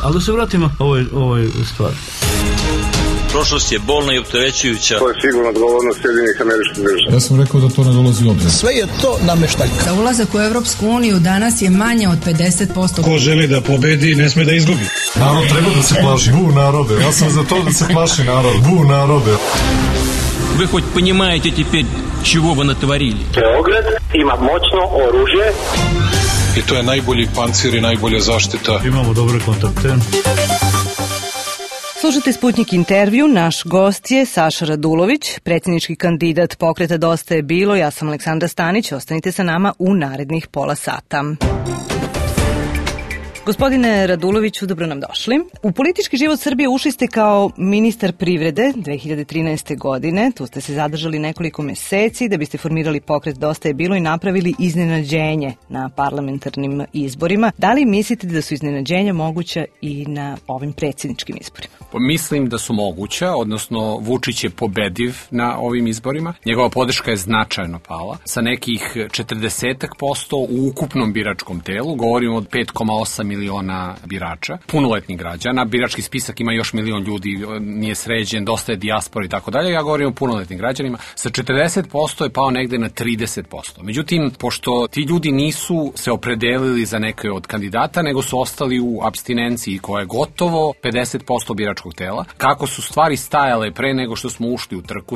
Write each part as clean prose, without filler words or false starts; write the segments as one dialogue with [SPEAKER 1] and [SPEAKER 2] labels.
[SPEAKER 1] Ali da se vratimo ovoj stvari.
[SPEAKER 2] Prošlost je bolna i opterećujuća.
[SPEAKER 3] To je sigurno odgovornost Sjedinjenih Američkih Država.
[SPEAKER 4] Ja sam rekao da to ne dolazi u obzir.
[SPEAKER 5] Sve je to nameštaljka.
[SPEAKER 6] Za ulazak u Evropsku uniju danas je manje od 50%.
[SPEAKER 7] Ko želi da pobedi, ne sme da izgubi.
[SPEAKER 4] Narod treba da se plaši. Narode. Ja sam za to da se plaši narod. Narode.
[SPEAKER 2] Вы хоть понимаете теперь, чего вы натворили?
[SPEAKER 3] Beograd ima moćno oružje.
[SPEAKER 4] I to je najbolji pancir i najbolja zaštita.
[SPEAKER 1] Imamo dobre kontakte.
[SPEAKER 8] Slušajte Sputnik intervju, naš gost je Saša Radulović, predsjednički kandidat Pokreta Dosta je bilo, ja sam Aleksandra Stanić, ostanite sa nama u narednih pola sata. Gospodine Raduloviću, dobro nam došli. U politički život Srbije ušli ste kao ministar privrede 2013. godine. Tu ste se zadržali nekoliko meseci da biste formirali Pokret Dosta je bilo i napravili iznenađenje na parlamentarnim izborima. Da li mislite da su iznenađenja moguća i na ovim predsjedničkim izborima?
[SPEAKER 9] Mislim da su moguća, odnosno Vučić je pobediv na ovim izborima. Njegova podrška je značajno pala. Sa nekih 40% u ukupnom biračkom telu, govorimo od 5,8 miliona birača, punoletnih građana. Birački spisak ima još milion ljudi, nije sređen, dosta je dijaspora i tako dalje. Ja govorim o punoletnim građanima. Sa 40% je pao negde na 30%. Međutim, pošto ti ljudi nisu se opredelili za neke od kandidata, nego su ostali u apstinenciji koja je gotovo 50% biračkog tela. Kako su stvari stajale pre nego što smo ušli u trku,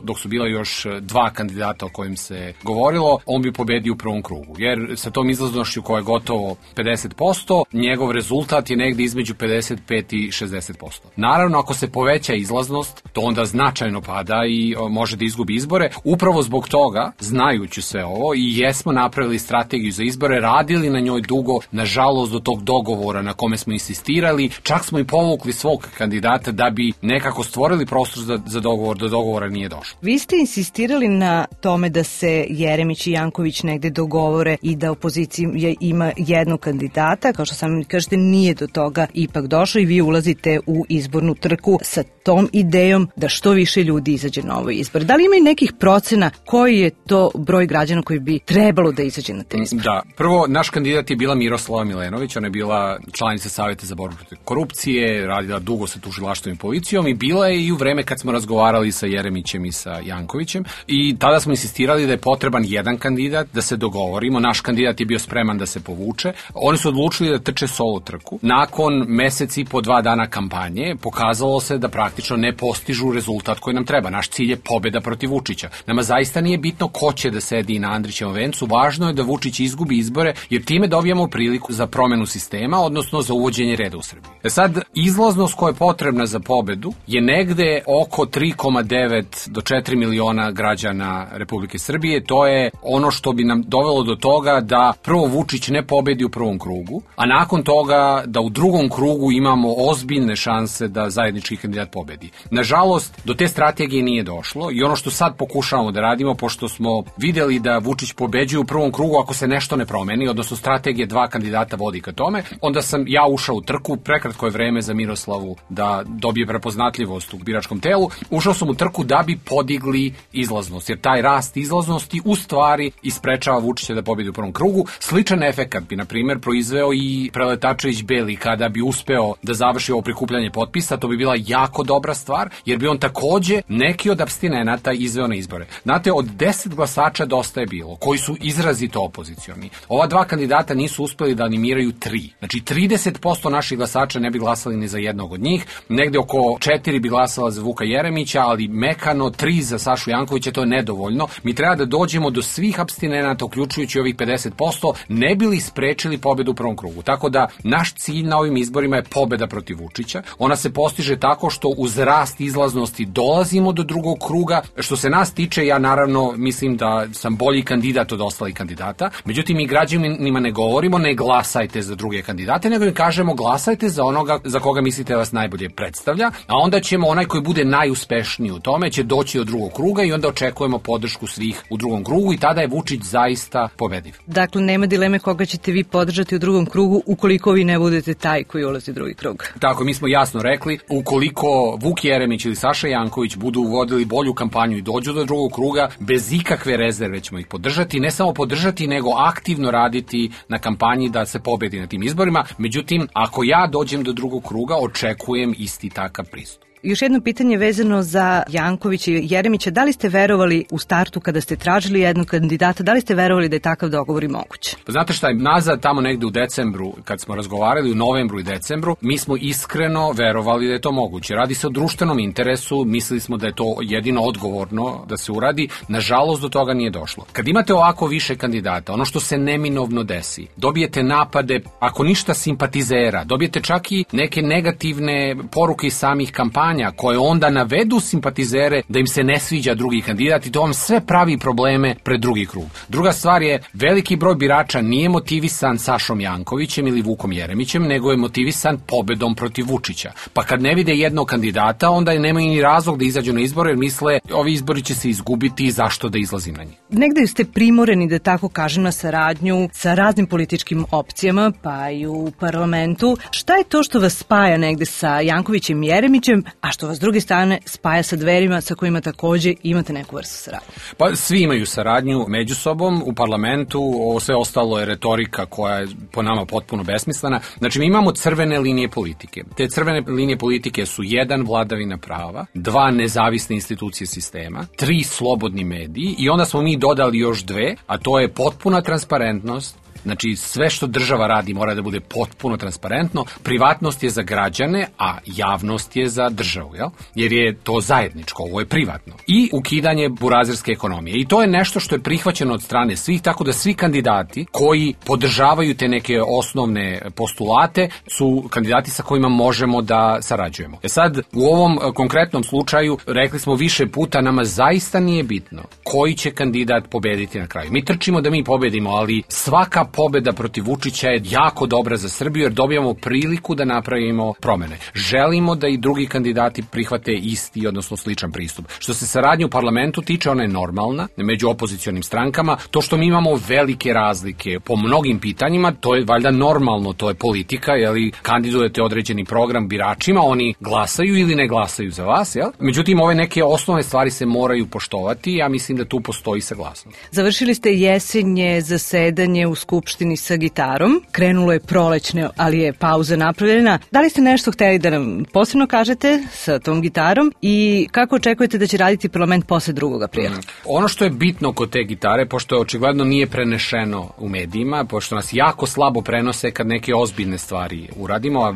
[SPEAKER 9] dok su bila još dva kandidata o kojim se govorilo, on bi pobedio u prvom krugu. Jer sa tom izlaznošću koja je gotovo 50%, njegov rezultat je negde između 55 i 60%. Naravno, ako se poveća izlaznost, to onda značajno pada i može da izgubi izbore. Upravo zbog toga, znajući sve ovo, i jesmo napravili strategiju za izbore, radili na njoj dugo, nažalost do tog dogovora na kome smo insistirali, čak smo i povukli svog kandidata da bi nekako stvorili prostor za dogovor, do dogovora nije došlo.
[SPEAKER 8] Vi ste insistirali na tome da se Jeremić i Janković negde dogovore i da opozicija ima jednog kandidata, kao što sami kažete, nije do toga ipak došlo i vi ulazite u izbornu trku sa tom idejom da što više ljudi izađe na ovaj izbor. Da li ima i nekih procena koji je to broj građana koji bi trebalo da izađe na te izbor?
[SPEAKER 9] Da, prvo, naš kandidat je bila Miroslava Milenović, ona je bila članica Saveta za borbu protiv korupcije, radila dugo sa tužilaštvom i policijom i bila je i u vreme kad smo razgovarali sa Jeremićem i sa Jankovićem i tada smo insistirali da je potreban jedan kandidat, da se dogovorimo. Naš kandidat je bio spreman da se povuče. Oni su odlučili da trče solo trku. Nakon mesec i po 2 dana kampanje pokazalo se da praktično ne postižu rezultat koji nam treba. Naš cilj je pobeda protiv Vučića. Nama zaista nije bitno ko će da sedi na Andrićevom vencu, važno je da Vučić izgubi izbore, jer time dobijamo priliku za promenu sistema, odnosno za uvođenje reda u Srbiji. Sad, izlaznost koja je potrebna za pobedu je negde oko 3,9 do 4 miliona građana Republike Srbije. To je ono što bi nam dovelo do toga da prvo Vučić ne pobedi u prvom krugu, a nakon toga da u drugom krugu imamo ozbiljne šanse da zajednički kandidat pobedi. Nažalost, do te strategije nije došlo i ono što sad pokušavamo da radimo, pošto smo videli da Vučić pobeđuje u prvom krugu ako se nešto ne promeni, odnosno strategije 2 kandidata vodi ka tome, onda sam ja ušao u trku, prekratko je vreme za Miroslavu da dobije prepoznatljivost u biračkom telu, ušao sam u trku da bi podigli izlaznost, jer taj rast izlaznosti u stvari isprečava Vučića da pobedi u prvom krugu. Sličan efekat bi, na primjer, proizveo i Preletačević Beli kada bi uspeo da završi ovo prikupljanje potpisa, to bi bila jako dobra stvar, jer bi on takođe neki od apstinenata izveo na izbore. Znate, od 10 glasača Dosta je bilo, koji su izrazito opozicioni. Ova 2 kandidata nisu uspeli da animiraju 3. Znači, 30% naših glasača ne bi glasali ni za jednog od njih, negde oko 4 bi glasala za Vuka Jeremića, ali mekano 3 za Sašu Jankovića, to je nedovoljno. Mi treba da dođemo do svih apstinenata, uključujući ovih 50%, ne bi li sprečili pobedu u prvom krugu. Tako da, naš cilj na ovim izborima je pobeda protiv Vučića. Ona se postiže tako što uz rast izlaznosti dolazimo do drugog kruga. Što se nas tiče, ja naravno mislim da sam bolji kandidat od ostalih kandidata. Međutim, mi građanima ne govorimo ne glasajte za druge kandidate, nego im kažemo glasajte za onoga za koga mislite da vas najbolje predstavlja, a onda ćemo onaj koji bude najuspešniji u tome će doći do drugog kruga i onda očekujemo podršku svih u drugom krugu i tada je Vučić zaista pobediv.
[SPEAKER 8] Dakle, nema dileme koga ćete vi podržati u drugom krugu krugu ukoliko vi ne budete taj koji ulazi u drugi krug.
[SPEAKER 9] Tako, mi smo jasno rekli, ukoliko Vuk Jeremić ili Saša Janković budu vodili bolju kampanju i dođu do drugog kruga, bez ikakve rezerve ćemo ih podržati, ne samo podržati, nego aktivno raditi na kampanji da se pobedi na tim izborima. Međutim, ako ja dođem do drugog kruga, očekujem isti takav pristup.
[SPEAKER 8] Još jedno pitanje vezano za Jankovića i Jeremića. Da li ste verovali u startu kada ste tražili jednog kandidata, da li ste verovali da je takav dogovor i moguć?
[SPEAKER 9] Znate šta, nazad tamo negde u decembru, kad smo razgovarali, u novembru i decembru, mi smo iskreno verovali da je to moguće. Radi se o društvenom interesu, mislili smo da je to jedino odgovorno da se uradi. Nažalost, do toga nije došlo. Kad imate ovako više kandidata, ono što se neminovno desi, dobijete napade, ako ništa simpatizera, dobijete čak i neke negativne poruke iz samih kampanja koje onda navedu simpatizere da im se ne sviđa drugi kandidat i to vam sve pravi probleme pred drugi krug. Druga stvar je, veliki broj birača nije motivisan Sašom Jankovićem ili Vukom Jeremićem, nego je motivisan pobedom protiv Vučića. Pa kad ne vide jednog kandidata, onda nemaju ni razlog da izađu na izbore jer misle ovi izbori će se izgubiti i zašto da izlazim na njih.
[SPEAKER 8] Negde ste primoreni, da tako kažem, na saradnju sa raznim političkim opcijama, pa i u parlamentu. Šta je to što vas spaja negde sa Jankovićem i Jeremićem, a što vas s druge strane spaja sa Dverima sa kojima takođe imate neku vrstu saradnje?
[SPEAKER 9] Pa svi imaju saradnju među sobom u parlamentu, ovo sve ostalo je retorika koja je po nama potpuno besmislena. Znači mi imamo crvene linije politike. Te crvene linije politike su 1. vladavina prava, 2. nezavisne institucije sistema, 3. slobodni mediji i onda smo mi dodali još 2, a to je potpuna transparentnost. Znači, sve što država radi mora da bude potpuno transparentno. Privatnost je za građane, a javnost je za državu, jel? Jer je to zajedničko, ovo je privatno. I ukidanje burazerske ekonomije. I to je nešto što je prihvaćeno od strane svih, tako da svi kandidati koji podržavaju te neke osnovne postulate su kandidati sa kojima možemo da sarađujemo. Sad, u ovom konkretnom slučaju, rekli smo više puta, nama zaista nije bitno koji će kandidat pobediti na kraju. Mi trčimo da mi pobedimo, ali svaka pobeda protiv Vučića je jako dobra za Srbiju jer dobijamo priliku da napravimo promene. Želimo da i drugi kandidati prihvate isti, odnosno sličan pristup. Što se saradnje u parlamentu tiče, ona je normalna među opozicionim strankama. To što mi imamo velike razlike po mnogim pitanjima, to je valjda normalno, to je politika, jeli kandidujete određeni program biračima, oni glasaju ili ne glasaju za vas, jel? Međutim, ove neke osnovne stvari se moraju poštovati, ja mislim da tu postoji saglasnost.
[SPEAKER 8] Završili ste jesenje zasedanje u Skupštini sa gitarom. Krenulo je prolećne, ali je pauza napravljena. Da li ste nešto hteli da nam posebno kažete sa tom gitarom i kako očekujete da će raditi parlament posle 2. aprila?
[SPEAKER 9] Ono što je bitno kod te gitare, pošto je očigledno nije prenešeno u medijima, pošto nas jako slabo prenose kad neke ozbiljne stvari uradimo, a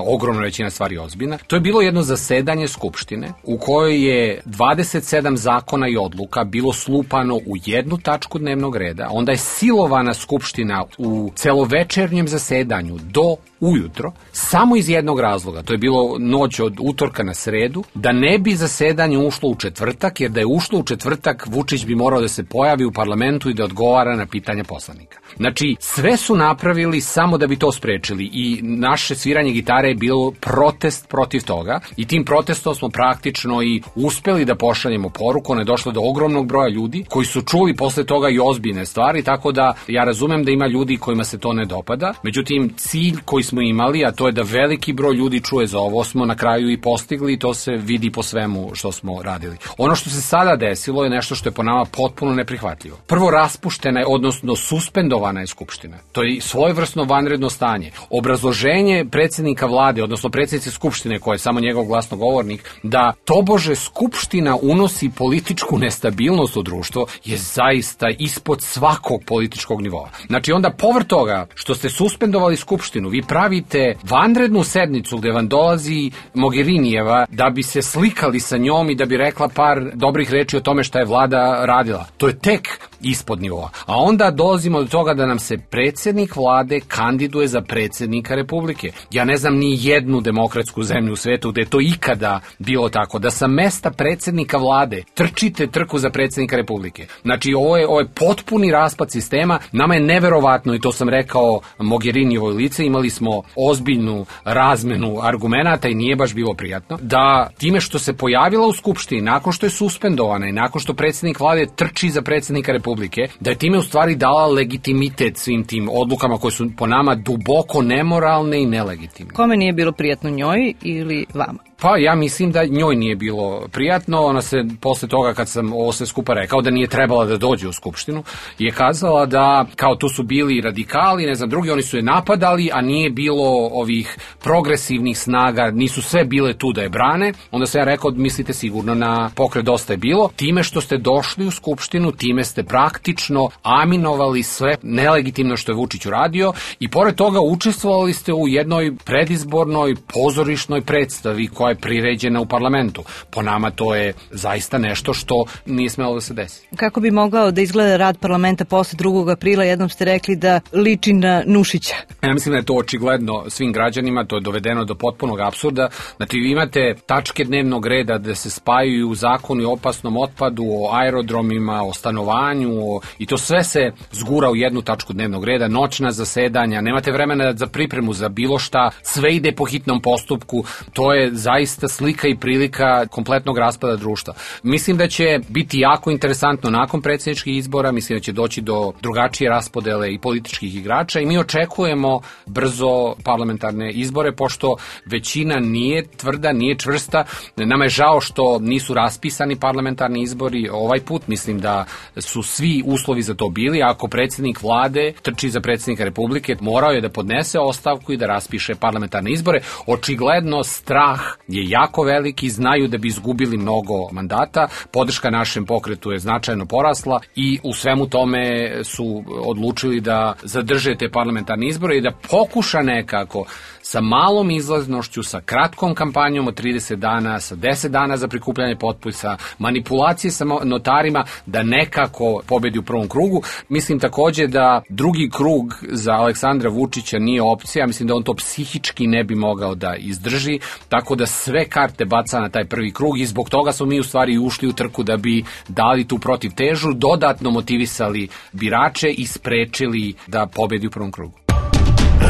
[SPEAKER 9] ogromna većina stvari je ozbiljna, to je bilo jedno zasedanje Skupštine u kojoj je 27 zakona i odluka bilo slupano u jednu tačku dnevnog reda, onda je silovana Skupština u celovečernjem zasedanju do ujutro, samo iz jednog razloga, to je bilo noć od utorka na sredu, da ne bi zasedanje ušlo u četvrtak, jer da je ušlo u četvrtak, Vučić bi morao da se pojavi u parlamentu i da odgovara na pitanja poslanika. Znači, sve su napravili samo da bi to sprečili i naše sviranje gitare je bilo protest protiv toga i tim protestom smo praktično i uspeli da pošaljemo poruku, ona je došla do ogromnog broja ljudi koji su čuli posle toga i ozbiljne stvari, tako da ja razumem da ima ljudi kojima se to ne dopada, međutim cilj koji smo imali, a to je da veliki broj ljudi čuje za ovo, smo na kraju i postigli i to se vidi po svemu što smo radili. Ono što se sada desilo je nešto što je po nama potpuno neprihvatljivo. Prvo, raspuštena je, odnosno suspendovana je Skupština. To je svojevrsno vanredno stanje. Obrazloženje predsjednika vlade, odnosno predsjednice Skupštine, koja je samo njegov glasnogovornik, da tobože Skupština unosi političku nestabilnost u društvo, je zaista ispod svakog političkog nivoa. Znači onda povrh toga što ste suspendovali Skupštinu, vi pravite vanrednu sednicu gde vam dolazi Mogherinijeva da bi se slikali sa njom i da bi rekla par dobrih reči o tome šta je vlada radila. To je tek ispod nivoa. A onda dolazimo do toga da nam se predsjednik vlade kandiduje za predsjednika Republike. Ja ne znam ni jednu demokratsku zemlju u svetu gde je to ikada bilo tako, da sa mesta predsjednika vlade trčite trku za predsjednika Republike. Znači ovo je potpuni raspad sistema. Nama je neverovatno, i to sam rekao Mogherinijevoj lice, imali smo ozbiljnu razmenu argumenata i nije baš bilo prijatno, da time što se pojavila u Skupštini, nakon što je suspendovana i nakon što predsjednik vlade trči za predsjednika Republike, Republike, da je time u stvari dala legitimitet svim tim odlukama koje su po nama duboko nemoralne i nelegitimne.
[SPEAKER 8] Kome nije bilo prijatno, njoj ili vama?
[SPEAKER 9] Pa ja mislim da njoj nije bilo prijatno. Ona se posle toga kad sam ovo sve skupa rekao da nije trebala da dođe u Skupštinu je kazala da kao tu su bili radikali, ne znam, drugi, oni su je napadali, a nije bilo ovih progresivnih snaga, nisu sve bile tu da je brane. Onda sam ja rekao, mislite sigurno na Pokret Dosta je bilo. Time što ste došli u Skupštinu, time ste praktično aminovali sve nelegitimno što je Vučić uradio i pored toga učestvovali ste u jednoj predizbornoj pozorišnoj predstavi koja je priređena u parlamentu. Po nama to je zaista nešto što nije smelo da se desi.
[SPEAKER 8] Kako bi mogao da izgleda rad parlamenta posle 2. aprila? Jednom ste rekli da liči na Nušića.
[SPEAKER 9] Ja mislim da je to očigledno svim građanima, to je dovedeno do potpunog apsurda. Znači vi imate tačke dnevnog reda da se spajaju zakoni o opasnom otpadu, o aerodromima, o stanovanju, i to sve se zgura u jednu tačku dnevnog reda, noćna zasedanja, nemate vremena za pripremu za bilo šta, sve ide po hitnom postupku, to je zaista slika i prilika kompletnog raspada društva. Mislim da će biti jako interesantno nakon predsjedničkih izbora, mislim da će doći do drugačije raspodele i političkih igrača i mi očekujemo brzo parlamentarne izbore, pošto većina nije tvrda, nije čvrsta. Nama je žao što nisu raspisani parlamentarni izbori ovaj put, mislim da su svi uslovi za to bili. Ako predsjednik vlade trči za predsjednika Republike, morao je da podnese ostavku i da raspiše parlamentarne izbore. Očigledno strah je jako veliki, znaju da bi izgubili mnogo mandata, podrška našem pokretu je značajno porasla i u svemu tome su odlučili da zadrže te parlamentarne izbore i da pokuša nekako sa malom izlaznošću, sa kratkom kampanjom od 30 dana, sa 10 dana za prikupljanje potpisa, manipulacije sa notarima, da nekako pobedi u prvom krugu. Mislim takođe da drugi krug za Aleksandra Vučića nije opcija, mislim da on to psihički ne bi mogao da izdrži, tako da sve karte baca na taj prvi krug i zbog toga smo mi u stvari ušli u trku da bi dali tu protivtežu, dodatno motivisali birače i sprečili da pobedi u prvom krugu.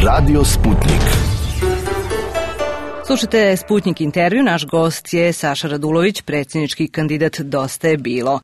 [SPEAKER 5] Radio Sputnik.
[SPEAKER 8] Slušajte Sputnik intervju, naš gost je Saša Radulović, predsjednički kandidat Dosta je bilo.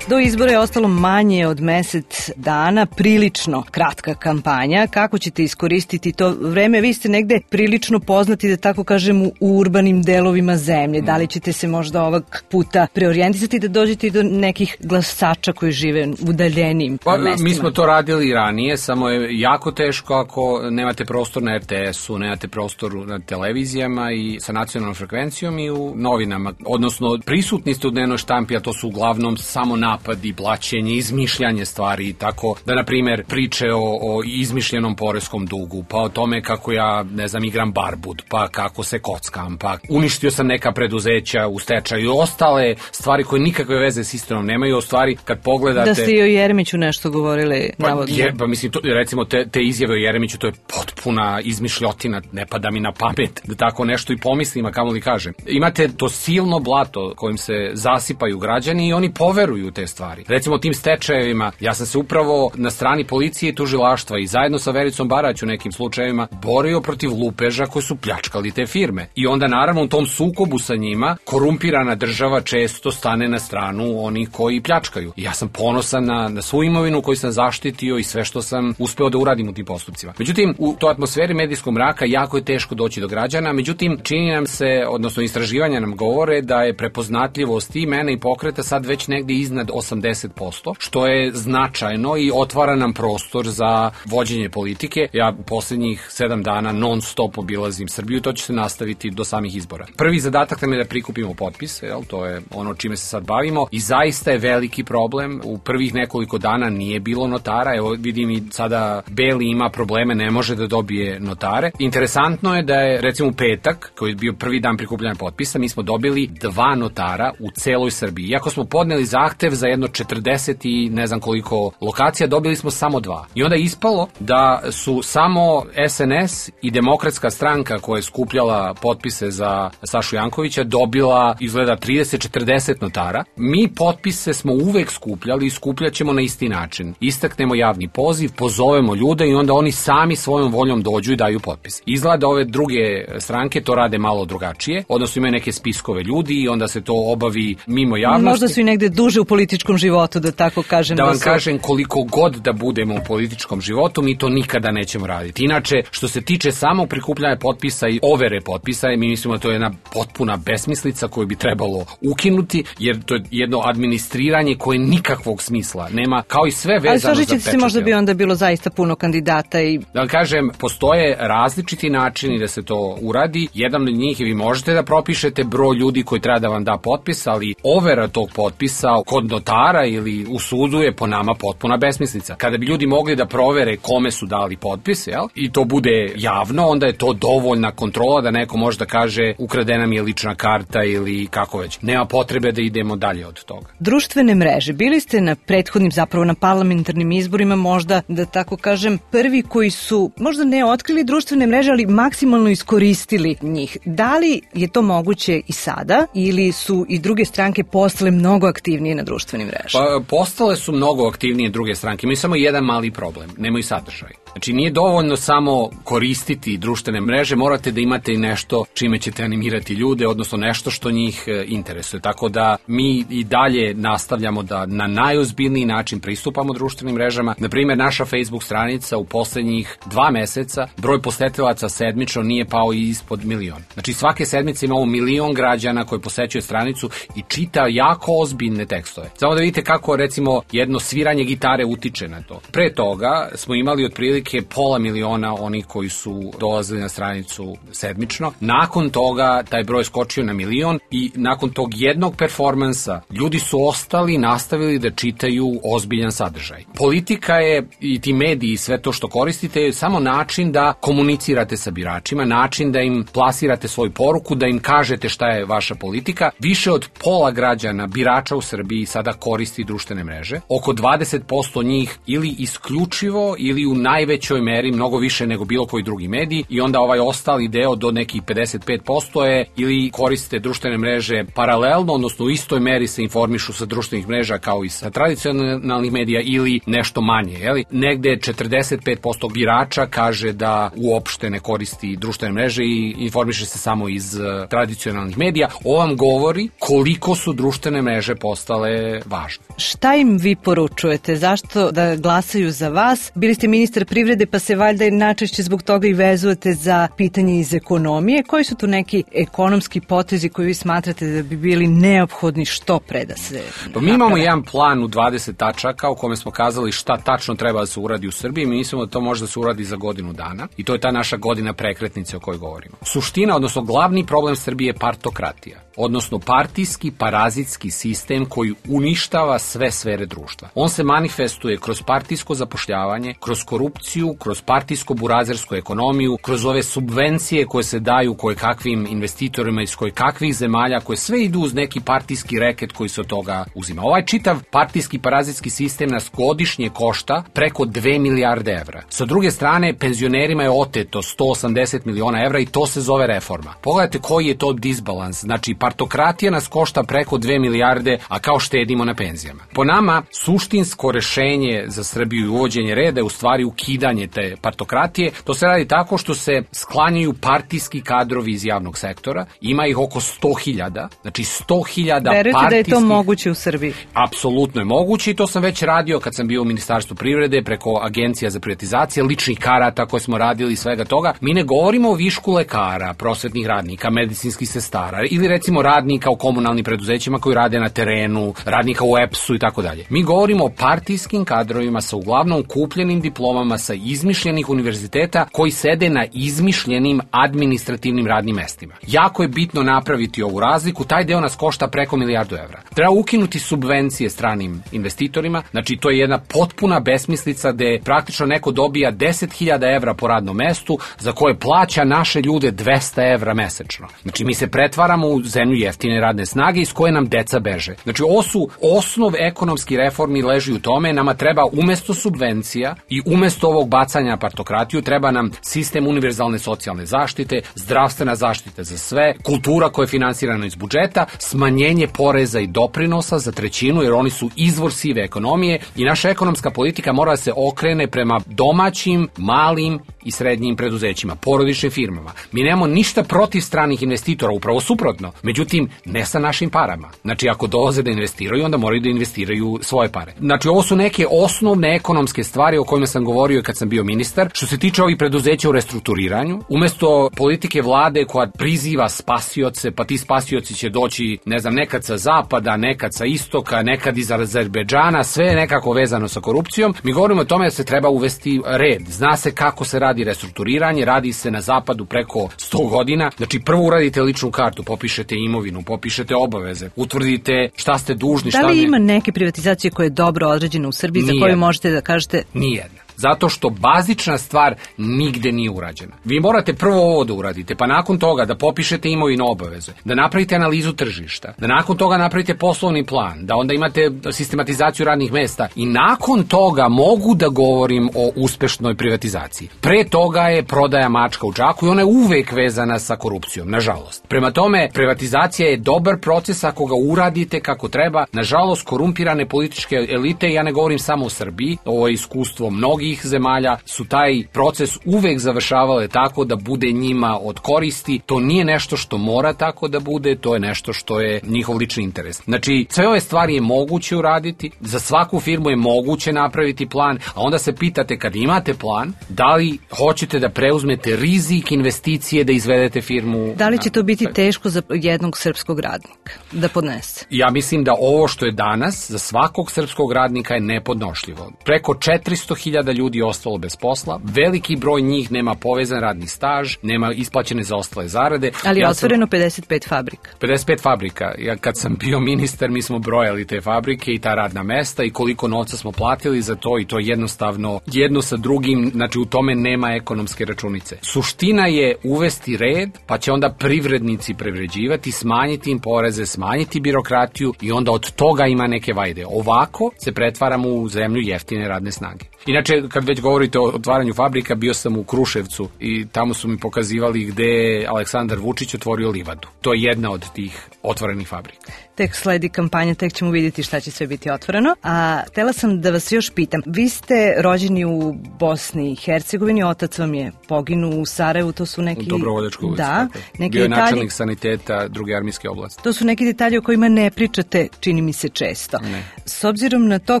[SPEAKER 8] Do izbora je ostalo manje od mesec dana, prilično kratka kampanja. Kako ćete iskoristiti to vreme? Vi ste negde prilično poznati, da tako kažem, u urbanim delovima zemlje. Da li ćete se možda ovog puta preorijentisati da dođete i do nekih glasača koji žive u udaljenim mestima?
[SPEAKER 9] Mi smo to radili i ranije, samo je jako teško ako nemate prostor na RTS-u, nemate prostor na televizijama i sa nacionalnom frekvencijom i u novinama. Odnosno, prisutni ste u dnevnoj štampi, a to su uglavnom samo napadi, blaćenje, izmišljanje stvari, tako da, na primjer, priče o izmišljenom poreskom dugu, pa o tome kako ja, ne znam, igram barbud, pa kako se kockam, pa uništio sam neka preduzeća u stečaju i ostale stvari koje nikakve veze s istinom nemaju, o stvari kad pogledate...
[SPEAKER 8] Da ste i o Jeremiću nešto govorili, navodno.
[SPEAKER 9] Pa mislim, recimo, te izjave o Jeremiću, to je potpuna izmišljotina, ne pada mi na pamet da tako nešto i pomislim, a kamo li kažem. Imate to silno blato kojim se zasipaju građani i oni poveruju te stvari. Recimo tim stečajevima, ja sam se upravo na strani policije i tužilaštva i zajedno sa Vericom Barać u nekim slučajevima borio protiv lupeža koji su pljačkali te firme. I onda naravno u tom sukobu sa njima korumpirana država često stane na stranu onih koji pljačkaju. I ja sam ponosan na svu imovinu koju sam zaštitio i sve što sam uspeo da uradim u tim postupcima. Međutim, u toj atmosferi medijskog mraka jako je teško doći do građana, međutim, čini nam se, odnosno istraživanja nam govore da je prepoznatljivost i mene i pokreta sad već negdje iznad 80%, što je značajno i otvara nam prostor za vođenje politike. Ja posljednjih 7 dana non stop obilazim Srbiju, to će se nastaviti do samih izbora. Prvi zadatak nam je da prikupimo potpise, to je ono čime se sad bavimo i zaista je veliki problem. U prvih nekoliko dana nije bilo notara, evo vidim i sada Beli ima probleme, ne može da dobije notare. Interesantno je da je recimo u petak, koji je bio prvi dan prikupljanja potpisa, mi smo dobili 2 notara u celoj Srbiji. Iako smo podneli zahtev za jedno 40 i ne znam koliko lokacija, dobili smo samo 2. I onda je ispalo da su samo SNS i Demokratska stranka koja je skupljala potpise za Sašu Jankovića dobila izgleda 30-40 notara. Mi potpise smo uvek skupljali i skupljaćemo na isti način. Istaknemo javni poziv, pozovemo ljude i onda oni sami svojom voljom dođu i daju potpis. Izgleda ove druge stranke to rade malo drugačije, odnosno imaju neke spiskove ljudi i onda se to obavi mimo javnosti.
[SPEAKER 8] Možda su i negde duže u politici političkom životu, da tako kažem.
[SPEAKER 9] Da vam kažem, koliko god da budemo u političkom životu, mi to nikada nećemo raditi. Inače, što se tiče samo prikupljanja potpisa i overe potpisa, mi mislimo da to je jedna potpuna besmislica koju bi trebalo ukinuti, jer to je jedno administriranje koje nikakvog smisla nema, kao i sve vezano za pečat.
[SPEAKER 8] Ali složit se, možda bi onda bilo zaista puno kandidata i...
[SPEAKER 9] Da vam kažem, postoje različiti načini da se to uradi. Jedan od njih, vi možete da propišete broj ljudi koji treba da vam da potpis, ali overa tog potpisa kod notara ili u sudu je po nama potpuna besmislica. Kada bi ljudi mogli da provere kome su dali potpis, jel? I to bude javno, onda je to dovoljna kontrola da neko može da kaže ukradena mi je lična karta ili kako već. Nema potrebe da idemo dalje od toga.
[SPEAKER 8] Društvene mreže. Bili ste na prethodnim, zapravo na parlamentarnim izborima, možda da tako kažem, prvi koji su možda ne otkrili društvene mreže, ali maksimalno iskoristili njih. Da li je to moguće i sada ili su i druge stranke postale mnogo aktivnije na društvenim mrežama?
[SPEAKER 9] Pa, postale su mnogo aktivnije druge stranke. Imaju samo jedan mali problem. Nemaju sadržaj. Znači, nije dovoljno samo koristiti društvene mreže, morate da imate i nešto čime ćete animirati ljude, odnosno nešto što njih interesuje. Tako da mi i dalje nastavljamo da na najozbiljniji način pristupamo društvenim mrežama. Naprimjer, naša Facebook stranica u poslednjih 2 meseca broj posetilaca sedmično nije pao i ispod 1 milion. Znači, svake sedmice imamo 1 milion građana koji posećuje stranicu i čita jako ozbiljne tekstove. Samo da vidite kako, recimo, jedno sviranje gitare utiče na to. Pre toga smo imali otprilike 500.000 onih koji su dolazili na stranicu sedmično. Nakon toga taj broj skočio na 1 milion i nakon tog jednog performansa ljudi su ostali, nastavili da čitaju ozbiljan sadržaj. Politika je i ti mediji i sve to što koristite je samo način da komunicirate sa biračima, način da im plasirate svoju poruku, da im kažete šta je vaša politika. Više od pola građana, birača u Srbiji sada koristi društvene mreže. Oko 20% njih ili isključivo ili u najvećoj meri, mnogo više nego bilo koji drugi mediji, i onda ovaj ostali deo do nekih 55% je ili koriste društvene mreže paralelno, odnosno u istoj meri se informišu sa društvenih mreža kao i sa tradicionalnih medija ili nešto manje. Jeli? Negde 45% birača kaže da uopšte ne koristi društvene mreže i informiše se samo iz tradicionalnih medija. Ovo vam govori koliko su društvene mreže postale važne.
[SPEAKER 8] Šta im vi poručujete? Zašto da glasaju za vas? Bili ste ministar privrede, pa se valjda najčešće zbog toga i vezujete za pitanje iz ekonomije. Koji su tu neki ekonomski potezi koji vi smatrate da bi bili neophodni što pre da se
[SPEAKER 9] Pa mi imamo jedan plan u 20 tačaka u kome smo kazali šta tačno treba da se uradi u Srbiji. Mi mislimo da to može da se uradi za godinu dana i to je ta naša godina prekretnice o kojoj govorimo. Suština, odnosno glavni problem Srbije je partokratija, odnosno partijski parazitski sistem koji uništava sve sfere društva. On se manifestuje kroz partijsko zapošljavanje, kroz korupciju, kroz partijsko-burazersku ekonomiju, kroz ove subvencije koje se daju kakvim investitorima iz kakvih zemalja, koje sve idu uz neki partijski reket koji se od toga uzima. Ovaj čitav partijski parazitski sistem nas godišnje košta preko 2 milijarde evra. Sa druge strane, penzionerima je oteto 180 miliona evra i to se zove reforma. Pogledajte koji je to disbalans. Znači, partokratija nas košta preko 2 milijarde, a kao štedimo na penzijama. Po nama, suštinsko rešenje za Srbiju i uvođenje reda je u stvari ukidanje te partokratije. To se radi tako što se sklanjaju partijski kadrovi iz javnog sektora. Ima ih oko 100.000. Znači 100.000 partijskih...
[SPEAKER 8] Verujete da je to moguće u Srbiji?
[SPEAKER 9] Apsolutno je moguće i to sam već radio kad sam bio u Ministarstvu privrede preko agencija za privatizacije, ličnih karata koje smo radili i svega toga. Mi ne govorimo o višku lekara, prosvetnih radnika, medicinskih sestara ili recimo radnika u komunalnim preduzećima koji rade na terenu, radnika u EPS-u i tako dalje. Mi govorimo o partijskim kadrovima sa uglavnom kupljenim diplomama sa izmišljenih univerziteta koji sede na izmišljenim administrativnim radnim mestima. Jako je bitno napraviti ovu razliku, taj deo nas košta preko 1 milijardu evra. Treba ukinuti subvencije stranim investitorima, znači to je jedna potpuna besmislica gde praktično neko dobija 10.000 evra po radnom mestu za koje plaća naše ljude 200 evra mesečno. Znači mi se pretvaramo u zemlju jeftine radne snage iz koje nam deca beže. Znači ovo su osnov ekonomski reformi leži u tome, nama treba umesto subvencija i umesto ovog bacanja na partokratiju treba nam sistem univerzalne socijalne zaštite, zdravstvena zaštita za sve, kultura koja je finansirana iz budžeta, smanjenje poreza i doprinosa za 1/3 jer oni su izvor sive ekonomije i naša ekonomska politika mora da se okrene prema domaćim, malim i srednjim preduzećima, porodičnim firmama. Mi nemamo ništa protiv stranih investitora, upravo suprotno. Međutim, ne sa našim parama. Znači, ako dolaze da investiraju, onda moraju da investiraju svoje pare. Znači, ovo su neke osnovne ekonomske stvari o kojima sam govorio kad sam bio ministar. Što se tiče ovih preduzeća u restrukturiranju, umesto politike vlade koja priziva spasioce, pa ti spasioci će doći, ne znam, nekad sa zapada, nekad sa istoka, nekad iz Azerbejdžana, sve je nekako vezano sa korupcijom. Mi govorimo o tome da se treba uvesti red. Zna se kako se radi restrukturiranje, radi se na zapadu preko 100 godina. Znači, prvo uradite ličnu kartu, popišete imovinu, popišete obaveze, utvrdite šta ste dužni, šta ne.
[SPEAKER 8] Da li ima neke privatizacije koje je dobro određene u Srbiji za koju možete da kažete?
[SPEAKER 9] Nijedna. Zato što bazična stvar nigde nije urađena. Vi morate prvo ovo da uradite, pa nakon toga da popišete imovinu obaveze, da napravite analizu tržišta, da nakon toga napravite poslovni plan, da onda imate sistematizaciju radnih mesta i nakon toga mogu da govorim o uspešnoj privatizaciji. Pre toga je prodaja mačka u džaku i ona je uvek vezana sa korupcijom, nažalost. Prema tome, privatizacija je dobar proces ako ga uradite kako treba. Nažalost, korumpirane političke elite, ja ne govorim samo o Srbiji, ovo je iskustvo mnogih zemalja, su taj proces uvek završavale tako da bude njima od koristi. To nije nešto što mora tako da bude, to je nešto što je njihov lični interes. Znači, sve ove stvari je moguće uraditi, za svaku firmu je moguće napraviti plan, a onda se pitate kad imate plan, da li hoćete da preuzmete rizik investicije da izvedete firmu.
[SPEAKER 8] Da li će to biti teško za jednog srpskog radnika da podnese?
[SPEAKER 9] Ja mislim da ovo što je danas za svakog srpskog radnika je nepodnošljivo. Preko 400.000 ljudi je ostalo bez posla, veliki broj njih nema povezan radni staž, nema isplaćene zaostale zarade.
[SPEAKER 8] Ali je otvoreno 55 fabrika.
[SPEAKER 9] 55 fabrika. Ja kad sam bio ministar, mi smo brojali te fabrike i ta radna mesta i koliko novca smo platili za to i to jednostavno jedno sa drugim, znači u tome nema ekonomske računice. Suština je uvesti red, pa će onda privrednici privređivati, smanjiti im poreze, smanjiti birokratiju i onda od toga ima neke vajde. Ovako se pretvaramo u zemlju jeftine radne snage. Inače, kad već govorite o otvaranju fabrika, bio sam u Kruševcu i tamo su mi pokazivali gde je Aleksandar Vučić otvorio livadu. To je jedna od tih otvorenih fabrika.
[SPEAKER 8] Tek sledi kampanja, tek ćemo vidjeti šta će sve biti otvoreno. A htela sam da vas još pitam. Vi ste rođeni u Bosni i Hercegovini, otac vam je poginuo u Sarajevu, to su neki...
[SPEAKER 9] U Dobrovoljačkoj ulici.
[SPEAKER 8] Da.
[SPEAKER 9] Neki bio je načelnik saniteta druge armijske oblasti.
[SPEAKER 8] To su neki detalji o kojima ne pričate, čini mi se često.
[SPEAKER 9] Ne.
[SPEAKER 8] S obzirom na to,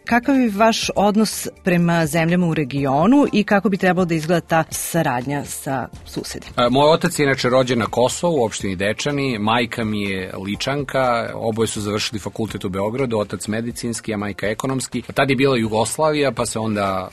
[SPEAKER 8] kakav je vaš odnos prema zemljama u regionu i kako bi trebalo da izgleda ta saradnja sa susedima?
[SPEAKER 9] Moj otac je inače rođen na Kosovu, u opštini Dečani, majka mi je Ličanka, oboje su završili fakultet u Beogradu, otac medicinski, a majka ekonomski. Tad je bila Jugoslavija, pa se onda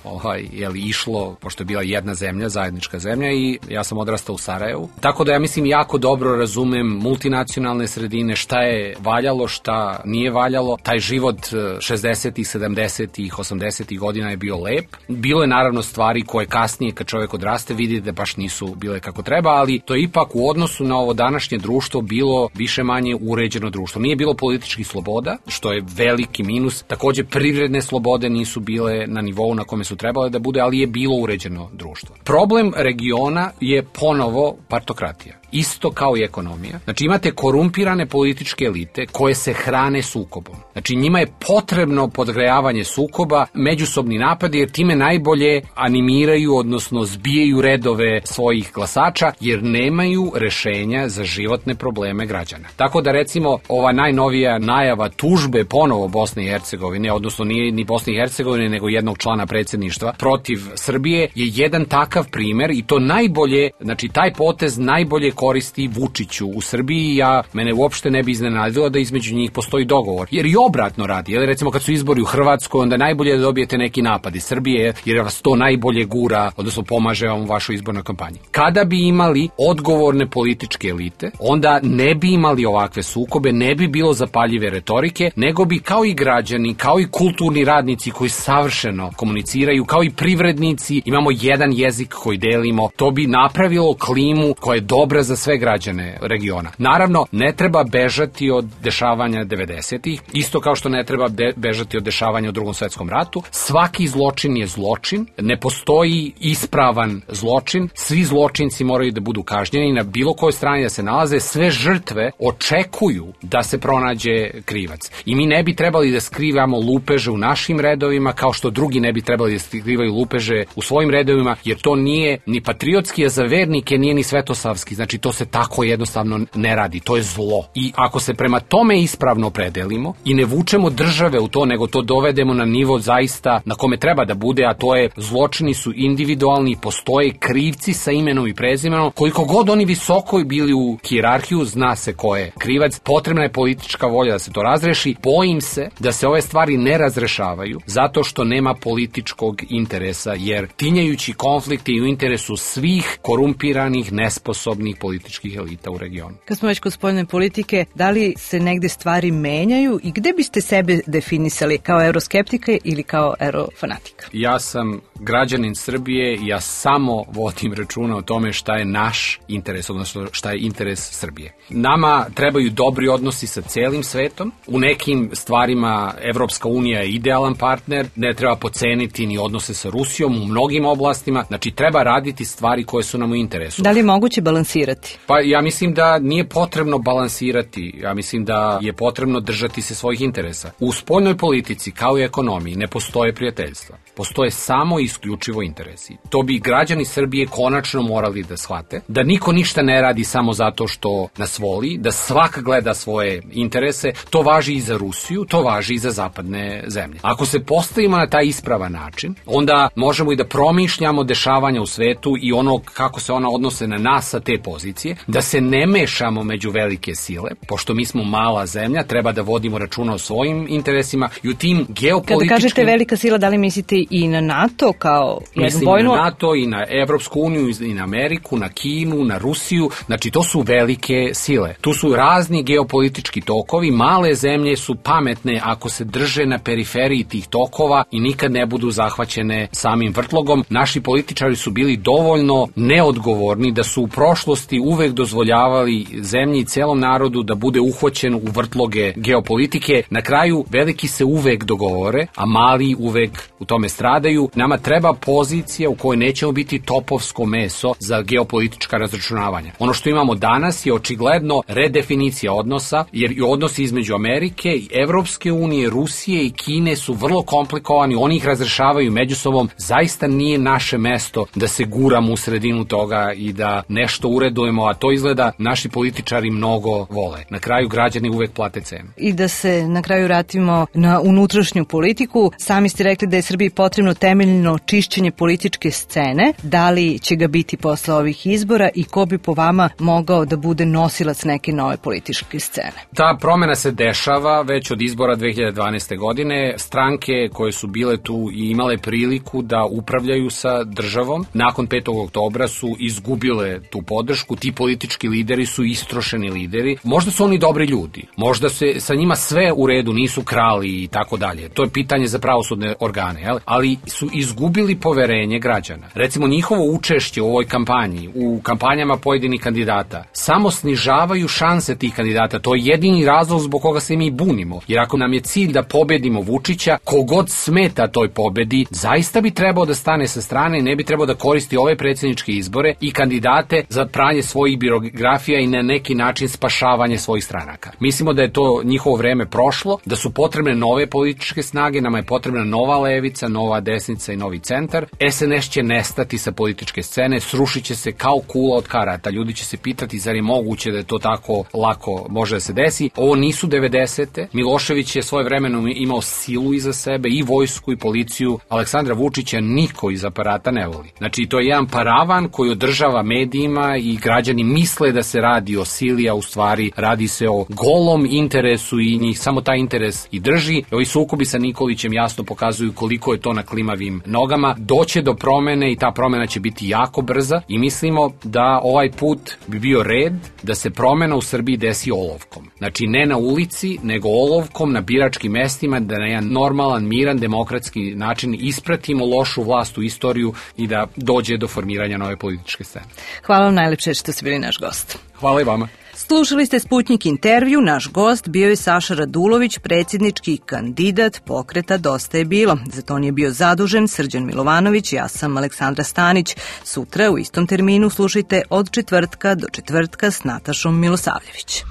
[SPEAKER 9] išlo, pošto je bila jedna zemlja, zajednička zemlja i ja sam odrastao u Sarajevu. Tako da ja mislim jako dobro razumem multinacionalne sredine, šta je valjalo, šta nije valjalo. Taj život 60-ih, 70-ih, 80-ih godina je bio lep. Bilo je naravno stvari koje kasnije kad čovjek odraste vidi da baš nisu bile kako treba, ali to je ipak u odnosu na ovo današnje društvo bilo više manje uređeno društvo. Nije bilo političkih sloboda, što je veliki minus. Takođe privredne slobode nisu bile na nivou na kome su trebale da bude, ali je bilo uređeno društvo. Problem regiona je ponovo partokratija. Isto kao i ekonomija. Znači imate korumpirane političke elite koje se hrane sukobom. Znači njima je potrebno podgrejavanje sukoba, međusobni napadi, jer time najbolje animiraju, odnosno zbijaju redove svojih glasača, jer nemaju rešenja za životne probleme građana. Tako da recimo ova najnovija najava tužbe ponovo Bosne i Hercegovine, odnosno nije ni Bosne i Hercegovine, nego jednog člana predsjedništva protiv Srbije, je jedan takav primer i to najbolje, znači taj potez najbolje koristi Vučiću u Srbiji. Mene uopšte ne bi iznenadilo da između njih postoji dogovor. Jer i obratno radi. Jer recimo kad su izbori u Hrvatskoj, onda najbolje da dobijete neki napad iz Srbije, jer vas to najbolje gura, odnosno pomaže vam u vašoj izbornoj kampanji. Kada bi imali odgovorne političke elite, onda ne bi imali ovakve sukobe, ne bi bilo zapaljive retorike, nego bi kao i građani, kao i kulturni radnici koji savršeno komuniciraju, kao i privrednici, imamo jedan jezik koji delimo, to bi napravilo klimu koja je dobra za sve građane regiona. Naravno, ne treba bežati od dešavanja 90-ih, isto kao što ne treba bežati od dešavanja u Drugom svetskom ratu. Svaki zločin je zločin, ne postoji ispravan zločin, svi zločinci moraju da budu kažnjeni na bilo kojoj strani da se nalaze, sve žrtve očekuju da se pronađe krivac. I mi ne bi trebali da skrivamo lupeže u našim redovima, kao što drugi ne bi trebali da skrivaju lupeže u svojim redovima, jer to nije ni patriotski, a za vernike nije ni svetosavski. Znači, to se tako jednostavno ne radi. To je zlo. I ako se prema tome ispravno opredelimo i ne vučemo države u to, nego to dovedemo na nivo zaista na kome treba da bude, a to je zločini su individualni, postoje krivci sa imenom i prezimenom, koliko god oni visoko bili u hijerarhiju, zna se ko je krivac, potrebna je politička volja da se to razreši. Bojim se da se ove stvari ne razrešavaju zato što nema političkog interesa, jer tinjajući konflikti i u interesu svih korumpiranih, nesposobnih političkih elita u regionu.
[SPEAKER 8] Kad smo već kod spoljne politike, da li se negde stvari menjaju i gde biste sebe definisali, kao euroskeptika ili kao eurofanatika?
[SPEAKER 9] Ja sam građanin Srbije i ja samo vodim računa o tome šta je naš interes, odnosno šta je interes Srbije. Nama trebaju dobri odnosi sa celim svetom. U nekim stvarima Evropska unija je idealan partner, ne treba poceniti ni odnose sa Rusijom u mnogim oblastima, znači treba raditi stvari koje su nam u interesu.
[SPEAKER 8] Da li je moguće balansirati?
[SPEAKER 9] Pa ja mislim da nije potrebno balansirati, ja mislim da je potrebno držati se svojih interesa. U spoljnoj politici, kao i ekonomiji, ne postoje prijateljstva. Postoje samo i isključivo interesi. To bi građani Srbije konačno morali da shvate, da niko ništa ne radi samo zato što nas voli, da svak gleda svoje interese. To važi i za Rusiju, to važi i za zapadne zemlje. Ako se postavimo na taj ispravan način, onda možemo i da promišljamo dešavanja u svetu i ono kako se ona odnose na nas sa te pozicije, da se ne mešamo među velike sile, pošto mi smo mala zemlja, treba da vodimo računa o svojim interesima i u tim geopolitičkim...
[SPEAKER 8] Kada kažete velika sila, da li mislite i na NATO kao jednu vojnu?
[SPEAKER 9] Mislim na NATO i na Evropsku uniju i na Ameriku, na Kinu, na Rusiju, znači to su velike sile. Tu su razni geopolitički tokovi, male zemlje su pametne ako se drže na periferiji tih tokova i nikad ne budu zahvaćene samim vrtlogom. Naši političari su bili dovoljno neodgovorni da su u prošlosti uvek dozvoljavali zemlji i celom narodu da bude uhvaćen u vrtloge geopolitike. Na kraju veliki se uvek dogovore, a mali uvek u tome stradaju. Nama treba pozicija u kojoj nećemo biti topovsko meso za geopolitička razračunavanja. Ono što imamo danas je očigledno redefinicija odnosa, jer i odnosi između Amerike i Evropske unije, Rusije i Kine su vrlo komplikovani, oni ih razrešavaju među sobom. Zaista nije naše mesto da se guramo u sredinu toga i da nešto uredujemo, a to izgleda naši političari mnogo vole. Na kraju građani uvek plate cenu.
[SPEAKER 8] I da se na kraju vratimo na unutrašnju politiku, sami ste rekli da je Srbiji potrebno temeljno čišćenje političke scene. Da li će ga biti posle ovih izbora i ko bi po vama mogao da bude nosilac neke nove političke scene?
[SPEAKER 9] Ta promena se dešava već od izbora 2012. godine. Stranke koje su bile tu i imale priliku da upravljaju sa državom, nakon 5. oktobra su izgubile tu podršku. Ti politički lideri su istrošeni lideri. Možda su oni dobri ljudi, možda se sa njima sve u redu, nisu krali i tako dalje. To je pitanje za pravosudne organe, jel? Ali su izgubili poverenje građana. Recimo, njihovo učešće u ovoj kampanji, u kampanjama pojedinih kandidata, samo snižavaju šanse tih kandidata. To je jedini razlog zbog koga se mi bunimo. Jer ako nam je cilj da pobedimo Vučića, kogod smeta toj pobedi, zaista bi trebao da stane sa strane i ne bi trebao da koristi ove predsjedničke izbore i kandidate za pranje svojih biografija i na neki način spašavanje svojih stranaka. Mislimo da je to njihovo vreme prošlo, da su potrebne nove političke snage, nama je potrebna nova levica, nova desnica i novi centar. SNS će nestati sa političke scene, srušit će se kao kula od karata. Ljudi će se pitati zar je moguće da je to tako lako može da se desi. Ovo nisu 90. Milošević je svoje vremeno imao silu iza sebe, i vojsku i policiju. Aleksandra Vučića niko iz aparata ne voli. Znači, to je jedan paravan koji održava medijima i građani misle da se radi o sili, a u stvari radi se o golom interesu i njih samo taj interes i drži. Ovi sukobi sa Nikolićem jasno pokazuju koliko je to na klimavim nogama. Doće do promene i ta promena će biti jako brza i mislimo da ovaj put bi bio red da se promena u Srbiji desi olovkom. Znači, ne na ulici, nego olovkom na biračkim mestima, da na jedan normalan, miran, demokratski način ispratimo lošu vlast u istoriju i da dođe do formiranja nove političke scene.
[SPEAKER 8] Hvala vam najlepše što ste bili naš gost.
[SPEAKER 9] Hvala i vama.
[SPEAKER 8] Slušali ste Sputnik intervju, naš gost bio je Saša Radulović, predsjednički kandidat pokreta Dosta je bilo. Za to nije bio zadužen Srđan Milovanović, ja sam Aleksandra Stanić. Sutra u istom terminu slušajte od četvrtka do četvrtka s Natašom Milosavljević.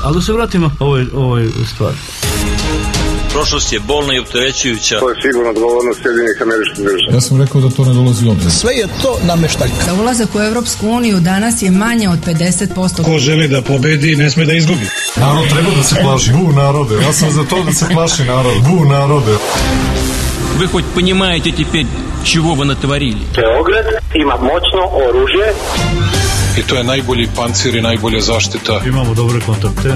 [SPEAKER 1] Ali da se vratimo ovoj stvari.
[SPEAKER 10] Prošlost je bolna i opterećujuća.
[SPEAKER 3] To je sigurno odgovornost Sjedinjenih Američkih Država.
[SPEAKER 4] Ja sam rekao da to ne dolazi u obzir.
[SPEAKER 5] Sve je to nameštaljka.
[SPEAKER 6] Za ulazak u Europsku uniju danas je manje od 50%.
[SPEAKER 7] Ko želi da pobedi, ne sme da izgubi.
[SPEAKER 4] Narod treba da se plaši. Bu narode. Ja sam za to da se plaši narod. Bu narode.
[SPEAKER 2] Вы хоть понимаете теперь, чего вы натворили?
[SPEAKER 3] Beograd ima moćno oružje.
[SPEAKER 4] I to je najbolji pancir i najbolja zaštita.
[SPEAKER 1] Imamo dobre kontakte.